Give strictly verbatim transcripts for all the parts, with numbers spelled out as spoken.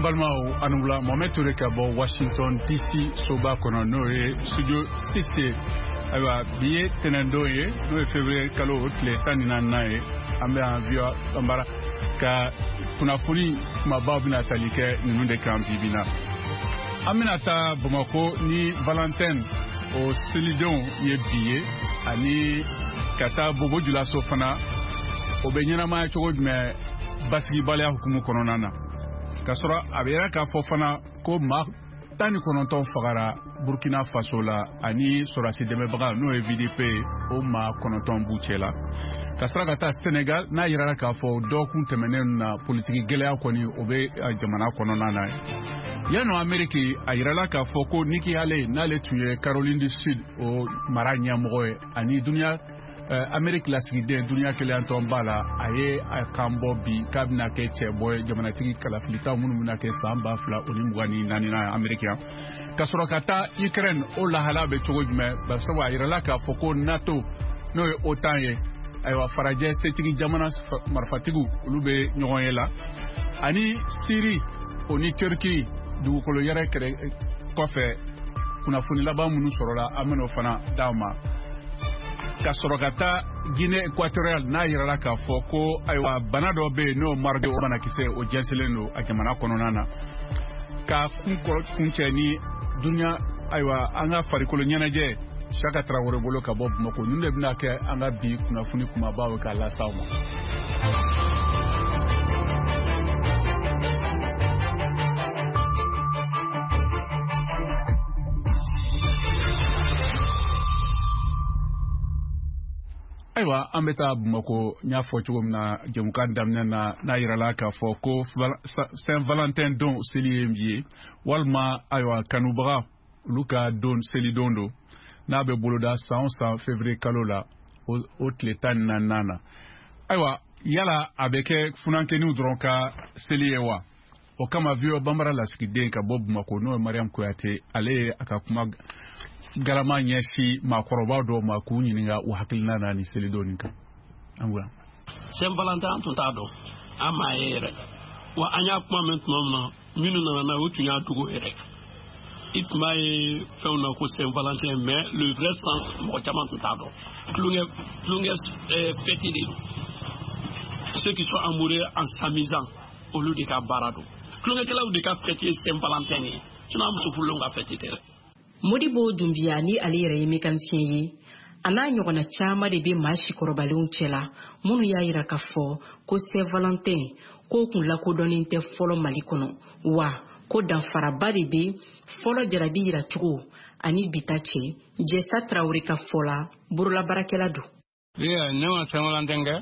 Balimaw, a ni wula. Mohamed Touré ka bɔ Washington D C soba kɔnɔ, n'o ye studio six ye. Ayiwa, bi ye tɛnɛndon ye, n'o ye février kalo o tile tan ni naaninan ye. An bɛ yan V O A Banbara ka kunnafoni kumabaw bɛna tali kɛ ninnu de kan bi bi na. An bɛna taa Bamako ni Valentin o selidenw ye bi ye, ani ka taa Bobo Julaso fana, o bɛ ɲɛnamaya cogo jumɛn basigibaliya hukumu kɔnɔna na. K'a sɔrɔ a bɛ yɛrɛ k'a fɔ fana ko maa tan ni kɔnɔntɔn fagara Burkina Faso la, ani sɔrɔdasi dɛmɛbaga, n'o ye V D P ye, o maa kɔnɔntɔn b'u cɛ la. Ka sɔrɔ ka taa Senegal, n'a yirara k'a fɔ dɔgɔkun tɛmɛnen na, politiki gɛlɛya kɔni o bɛ jamana kɔnɔna na. Yanni Ameriki, a yirala k'a fɔ ko Nikki Haley, n'ale tun ye Caroline du Sud o mara ɲɛmɔgɔ ye ani duniya Ameriki lasigiden duniya keleyantɔnba la, a ye a kan bɔ bi k'a bɛna kɛ cɛbɔ ye jamanatigi kalafilitaw minnu bɛna kɛ san ba fila o ni mugan ni naani na Ameriki yan. Ka sɔrɔ ka taa Ukraine, o lahala bɛ cogo jumɛn? Barisabu a yirala k'a fɔ ko NATO, n'o ye OTAN ye, ayiwa, farajɛ setigi jamana marifatigiw, olu bɛ ɲɔgɔn ye la. Ani Siri o ni Turki dugukolo yɛrɛ kɛrɛ kɔfɛ, kunnafoni laban minnu sɔrɔla, an bɛn'o fana d'aw ma. Ka sɔrɔ ka taa Guinée équatoriale, n'a yirala k'a fɔ ko ayiwa, bana dɔ bɛ yen, n'o Marburg, o banakisɛ o jɛnsɛnlen don a jamana kɔnɔna na. Ka kun kuncɛ ni duniya, ayiwa, an ka farikolo ɲɛnajɛ, Saka Tarawele bolo ka bɔ Bamakɔ. Ninnu de bɛna kɛ an ka bi kunnafoni kumabaw ye k'a las'aw ma. Ayiwa, an bɛ taa Bamakɔ. N y'a fɔ cogo min na jɛmukan daminɛ na, n'a yirala k'a fɔ ko Saint Valentin don seli ye bi ye, walima ayiwa, kanubaga olu ka don selidon don, n'a bɛ boloda san o san février kalo la, o tile tan ni naaninan na. Ayiwa, yala a bɛ kɛ funankɛninw dɔrɔn ka seli ye wa? O kama, V O A Banbara lasigiden ka bɔ Bamakɔ, n'o ye Mariam Kuyate, ale ye a ka kuma galama ɲɛsin maakɔrɔba dɔw ma k'u ɲininka u hakilina na ni selidon nin kan. An bonya. Saint Valentin, an tun t'a dɔn, an m'a ye yɛrɛ. Wa an y'a kuma mɛn tuma min na, minnu nana n'a ye, o tun y'a dogo yɛrɛ. I tun b'a ye fɛnw na ko Saint Valentin, mais le vrai sens, mɔgɔ caman tun t'a dɔn. Tulonkɛ tulonkɛ fête de don. Ceux qui sont amoureux en s'amusant, olu de ka baara don. Tulonkɛkɛlaw de ka fête ye Saint Valentin ye, sinon an muso furulenw ka fête tɛ dɛ. Modibo Dunbiya, ni ale yɛrɛ ye mécanicien ye, a n'a ɲɔgɔnna caman de bɛ maa sikɔrɔbalenw cɛla minnu y'a yira k'a fɔ ko Saint Valentin k'o kun lakodɔnnen tɛ fɔlɔ Mali kɔnɔ, wa ko danfaraba de bɛ fɔlɔ jarabi yiracogo ani bi ta cɛ. Jɛsa Tarawele ka fɔ la, bololabaarakɛla don. Ne ma Saint Valentin kɛ,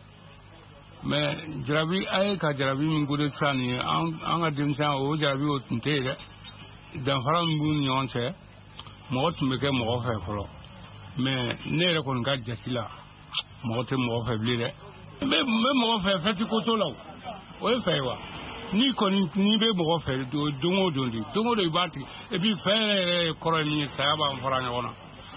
mais jarabi, a ye ka jarabi min ko de sisan nin ye, an ka denmisɛnya, o jarabi o tun tɛ yen dɛ. Danfara min b'u ni ɲɔgɔn cɛ, mɔgɔ tun bɛ kɛ mɔgɔ fɛ fɔlɔ, mais ne yɛrɛ kɔni ka jate la, mɔgɔ tɛ mɔgɔ fɛ bilen dɛ. N bɛ mɔgɔ fɛ, fɛti ko t'o la, o ye fɛ ye wa? N'i kɔni n'i bɛ mɔgɔ fɛ, don o don de, don o don i b'a tigɛ. Et puis fɛn yɛrɛ yɛrɛ kɔrɔ ye min ye, saya b'an fara ɲɔgɔn na.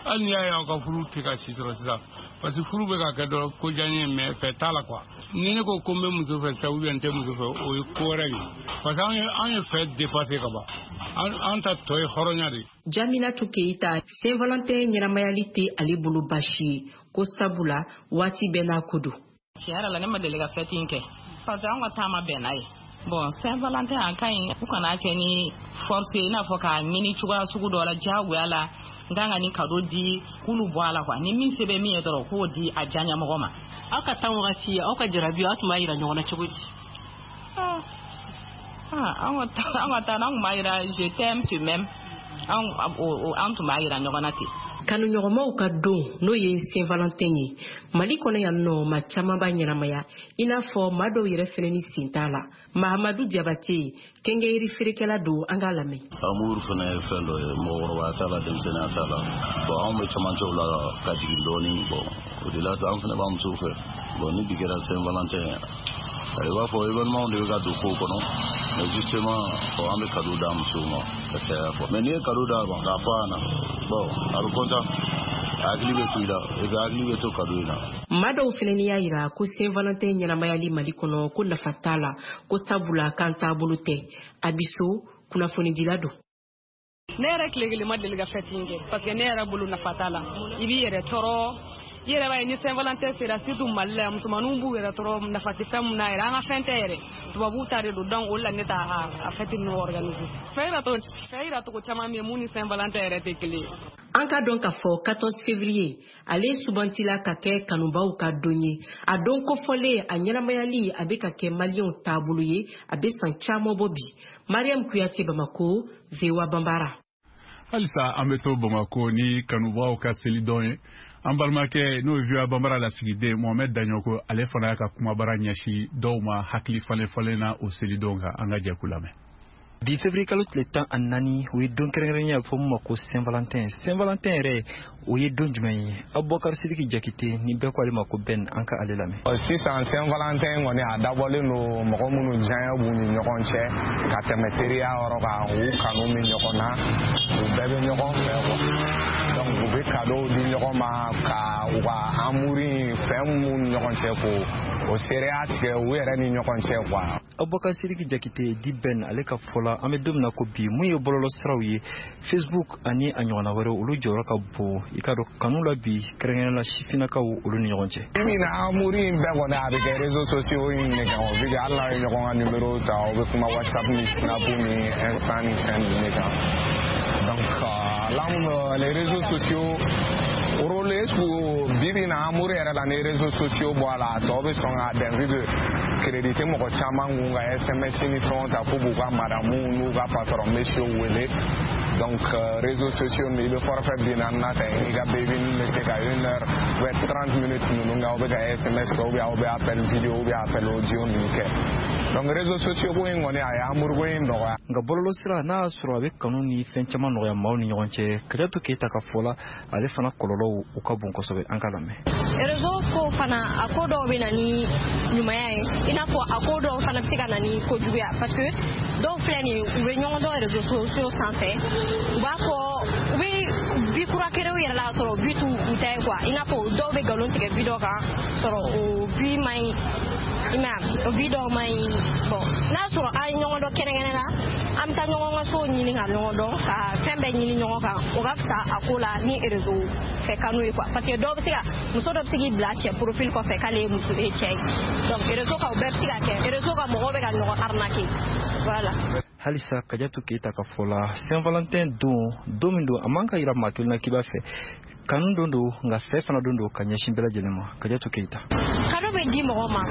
Hali n'i y'a ye aw ka furu tɛ ka si sɔrɔ sisan, parce que furu bɛ ka kɛ dɔrɔn ko diya n ye, mais fɛ t'a la quoi. Ni ne ko ko n bɛ muso fɛ sisan ou bien n tɛ muso fɛ, o ye ko wɛrɛ ye, parce que an ye an ye fɛ dépassé ka ban. an an ta tɔ ye hɔrɔnya de ye. Jaminatu Keyita, Saint Valentin ɲɛnamayali tɛ ale bolo baasi ye, ko sabula waati bɛɛ n'a ko don. Tiɲɛ yɛrɛ la, ne ma deli ka fête in kɛ, parce que an ka taama bɛn n'a ye. Bon, Saint Valentin a ka ɲi, u kana kɛ ni force ye, i n'a fɔ k'a ɲini cogoya sugu dɔ la diyagoya la, n kan ka nin cadeau di, k'olu bɔ a la quoi. Ni min se bɛ min ye dɔrɔn, k'o di a diyaɲɛmɔgɔ ma. Aw ka tan wagati, aw ka jarabi, aw tun b'a yira ɲɔgɔn na cogo di? An ka an ka taa, an tun b'a yira "je t'aime, tu m'aimes". An an tun b'a yira ɲɔgɔn na ten. Kanuɲɔgɔnmaw ka don, n'o ye Saint Valentin ye, Mali kɔnɔ yan nɔ, maa caman b'a ɲɛnamaya, i n'a fɔ maa dɔw yɛrɛ fɛnɛ ni sen t'a la. Mahamadu Jabate, kɛnkɛyiri feerekɛla don, an k'a lamɛn. Amour fɛnɛ ye fɛn dɔ ye, mɔgɔkɔrɔbaya t'a la, denmisɛnninya t'a la. Bon, anw bɛ camancɛw la ka jigin dɔɔni. Bon, o de la sa, an fɛnɛ b'an musow fɛ. Bon, ni bi kɛra Saint Valentin, i b'a fɔ événement de bɛ ka don kow kɔnɔ, mais justement, bon, an bɛ cadeau d'a musow ma ka caya quoi. Mais n'i ye cadeau d'a ma k'a fɔ a ɲɛna, bon, a bɛ content. Hakili bɛ to i la, et puis hakili bɛ to cadeau in na. Maa dɔw fɛnɛ y'a yira ko Saint-Valentin ɲɛnamayali Mali kɔnɔ ko nafa t'a la, ko sabula k'an taabolo tɛ. Abiso kunnafonidila don. Ne yɛrɛ tile kelen ma deli ka fête in kɛ parce que ne yɛrɛ bolo nafa t'a la. I b'i yɛrɛ tɔɔrɔ, i yɛrɛ b'a ye ni Saint-Valentin sera, surtout Mali la, musomaninw b'u yɛrɛ tɔɔrɔ, nafa tɛ fɛn mun na yɛrɛ, an ka fɛn tɛ yɛrɛ, tubabuw ta de don. Donc o de la ne t'a a fête ninnu organiser. Fɛn yira cogo fɛn yira cogo caman bɛ yen mun ni Saint-Valentin yɛrɛ tɛ kelen ye. An ka dɔn k'a fɔ quatorze février ale sugantila ka kɛ kanubaw ka don ye. A don kofɔlen, a ɲɛnamayali a bɛ ka kɛ maliyɛnw taabolo ye, a bɛ san caman bɔ bi. Mariam Kuyate, Bamako, V O A Banbara. Halisa an bɛ to Bamako ni kanubaw ka selidɔn ye. An balimakɛ, n'o ye V O A Banbara lasigiden Mohamɛd Daɲɔko, ale fana y'a ka kumabara ɲɛsin dɔw ma hakili falen falen na o selidon kan. An ka jɛ k'u lamɛn. Bi février kalo tile tan ani naani, o ye don kɛrɛnkɛrɛnnen ye, a bɛ fɔ min ma ko Saint Valentin. Saint Valentin yɛrɛ, o ye don jumɛn ye? Abubakar Sidiki Jakite ni bɛɛ ko ale ma ko Ben, an ka ale lamɛn. Sisan, Saint Valentin kɔni, a dabɔlen don mɔgɔ minnu diyaɲɛ b'u ni ɲɔgɔn cɛ ka tɛmɛ teriya yɔrɔ kan, u kanu bɛ ɲɔgɔn na, u bɛɛ bɛ ɲɔgɔn fɛ quoi. Donc u bɛ cadeau di ɲɔgɔn ma ka u ka amour in, fɛn mun ni ɲɔgɔn cɛ, ko o seereya tigɛ u yɛrɛ ni ɲɔgɔn cɛ quoi. Abubakar Sidiki Jakite di Ben, ale ka fɔ la, an bɛ don min na ko bi, mun ye bɔlɔlɔ siraw ye, Facebook ani a ɲɔgɔnna wɛrɛw, olu jɔyɔrɔ ka bon i ka dɔn kanu la bi, kɛrɛnkɛrɛnnenya la sifinnakaw olu ni ɲɔgɔn cɛ. Bi na, amour in bɛɛ kɔni, a bɛ kɛ réseaux sociaux in de kan o, vu que hali n'aw ye ɲɔgɔn ka numéro ta, aw bɛ kuma WhatsApp ni Snap ni Insta ni fɛn ninnu de kan. Donc euh, les réseaux sociaux rôle, est ce que bi bi in na, amour yɛrɛ la, ni réseaux sociaux bɔ a la, a tɔ bɛ sɔn k'a dɛn, vu que crédit tɛ mɔgɔ caman kun ka S M S ni fɛnw ta k'u b'u ka madame n'u ka patron monsieur wele. Donc euh, réseaux sociaux ninnu, i bɛ forfait bi naani na ta, i ka baby bɛ se ka une heure ou bien trente minutes ninnu kɛ, aw bɛ ka S M S kɛ ou bien aw bɛ appel vidéo ou bien appel audio ninnu kɛ. Donc réseaux sociaux ko in kɔni, a ye amour ko in nɔgɔya. Nka bɔlɔlɔ sira, n'a y'a sɔrɔ a bɛ kanu ni fɛn caman nɔgɔya maaw ni ɲɔgɔn cɛ, Kajatu Keyita ka fɔ la, ale fana kɔlɔlɔw u ka bon kosɛbɛ. An ka lamɛn. Réseau ko fana, a ko dɔw bɛ na ni ɲumanya ye, i n'a fɔ a ko dɔw fana bɛ se ka na ni kojuguya, parce que dɔw filɛ nin ye, u bɛ ɲɔgɔn dɔn réseaux sociaux sanfɛ, u b'a fɔ u bɛ vie kura créer u yɛrɛ la, k'a sɔrɔ vie t'u u ta ye quoi. I n'a fɔ dɔw bɛ nkalon tigɛ vie dɔ kan, sɔrɔ o vie man ɲi, i m'a ye, o vie dɔw man ɲi. Bon, n'a sɔrɔ an ye ɲɔgɔn dɔn kɛnɛkɛnɛ la, an bɛ taa ɲɔgɔn ka so ɲini ka ɲɔgɔn dɔn, ka fɛn bɛɛ ɲini ɲɔgɔn kan, o ka fisa a ko la ni réseau fɛ kanu ye quoi, parce que dɔw bɛ se ka, muso dɔ bɛ se k'i bila cɛ profil kɔfɛ k'ale ye muso ye cɛ ye. Donc réseau kan, o bɛɛ bɛ se ka kɛ. Réseau kan, mɔgɔw bɛ ka ɲɔgɔn arnaquer, voilà. Halisa Kajatu Keyita ka fɔ la, Saint Valentin don, don min don, a man ka yira maa kelen na k'i b'a fɛ. Kanu don don, nka fɛ fana don don ka ɲɛsin bɛɛ lajɛlen ma. Kajatu Keyita. Cadeau bɛ di mɔgɔ ma,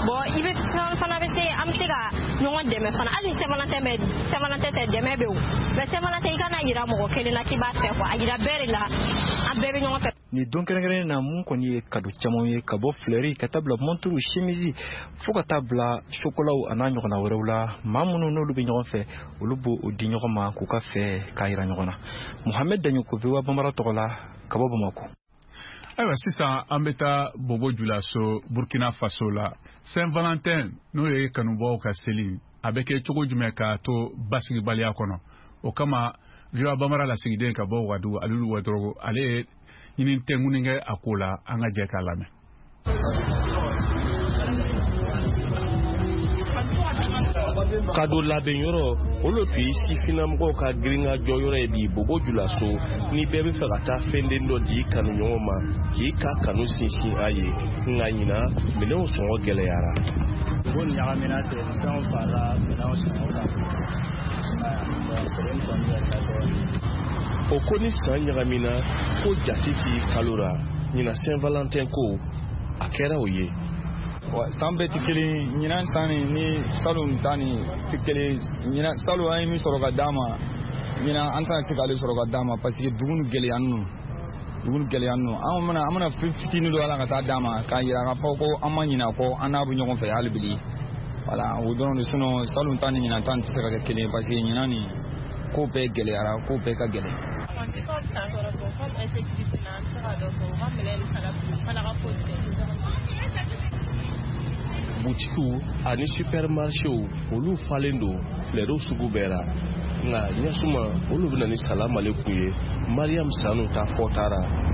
bon, i bɛ fɛn fana bɛ se, an bɛ se ka ɲɔgɔn dɛmɛ fana. Hali ni Saint Valentin bɛ, Saint Valentin tɛ, dɛmɛ bɛ o, mais Saint Valentin, i kana yira mɔgɔ kelen na k'i b'a fɛ quoi, a yira bɛɛ de la, an bɛɛ bɛ ɲɔgɔn fɛ. Nin don kɛrɛnkɛrɛnnen na, mun kɔni ye cadeau caman ye, ka bɔ fleur ka taa bila montre, chemise, fo ka taa bila chocolat a n'a ɲɔgɔnna wɛrɛw la, maa minnu n'olu bɛ ɲɔgɔn fɛ, olu b'o o di ɲɔgɔn ma k'u ka fɛ k'a yira ɲɔgɔn na. Mohamed Daɲoko, V O A Banbara tɔgɔ la, ka bɔ Bamakɔ. Ayiwa, sisan an bɛ taa Bobo Julaso, Burkina Faso la. Saint Valentin, n'o ye kanubaw ka seli, a bɛ kɛ cogo jumɛn k'a to basigibaliya kɔnɔ? O kama, V O A Banbara lasigiden ka bɔ Wagadugu, Alilu Wadorogo, ale ye ɲini tɛnkuni kɛ a ko la. An ka jɛ k'a lamɛn. Cadeau labɛn yɔrɔ, olu tun ye sifinnamɔgɔw ka girinka jɔyɔrɔ ye bi Bobo Julaso, ni bɛɛ bɛ fɛ ka taa fɛnden dɔ di kanuɲɔgɔn ma k'i ka kanu sinsin a ye. Nka ɲina, minɛnw sɔngɔ gɛlɛyara. Ko ɲagamina ten, fɛnw farala minɛnw sɔngɔ kan, donc kɔni yɛlɛla dɔɔnin. O ko ni san ɲagamina ko jate t'i kalo la, ɲina Saint Valentin ko a kɛra o ye. San bɛɛ tɛ kelen. Ɲinan san ni ni salon ta ni tɛ kelen. Ɲinan, salon an ye min sɔrɔ ka d'a ma, ɲinan an tɛna se k'ale sɔrɔ ka d'a ma, parce que dugu ni gɛlɛya ninnu, dugu ni gɛlɛya ninnu, an bɛna an bɛna fɛn fitinin dɔ ala ka taa d'a ma k'a yira k'a fɔ ko an ma ɲinɛ a kɔ, an n'a bɛ ɲɔgɔn fɛ hali bi. Voilà, o dɔrɔn de. Sinon salon ta ni ɲinan ta tɛ se ka kɛ kelen ye, parce que ɲinan nin ko bɛɛ gɛlɛyara, ko bɛɛ ka gɛlɛn. An tɛ san sɔrɔ fɔ comme insécurité na, an tɛ se ka dɔ fɔ u ka minɛn fana fana ka foyi tɛ. Butikiw ani supermarchéw, olu falen don fleurs sugu bɛɛ la, nka ɲɛsuma olu bɛ na ni salamaleku ye. Mariam Sanu ta fɔ taara.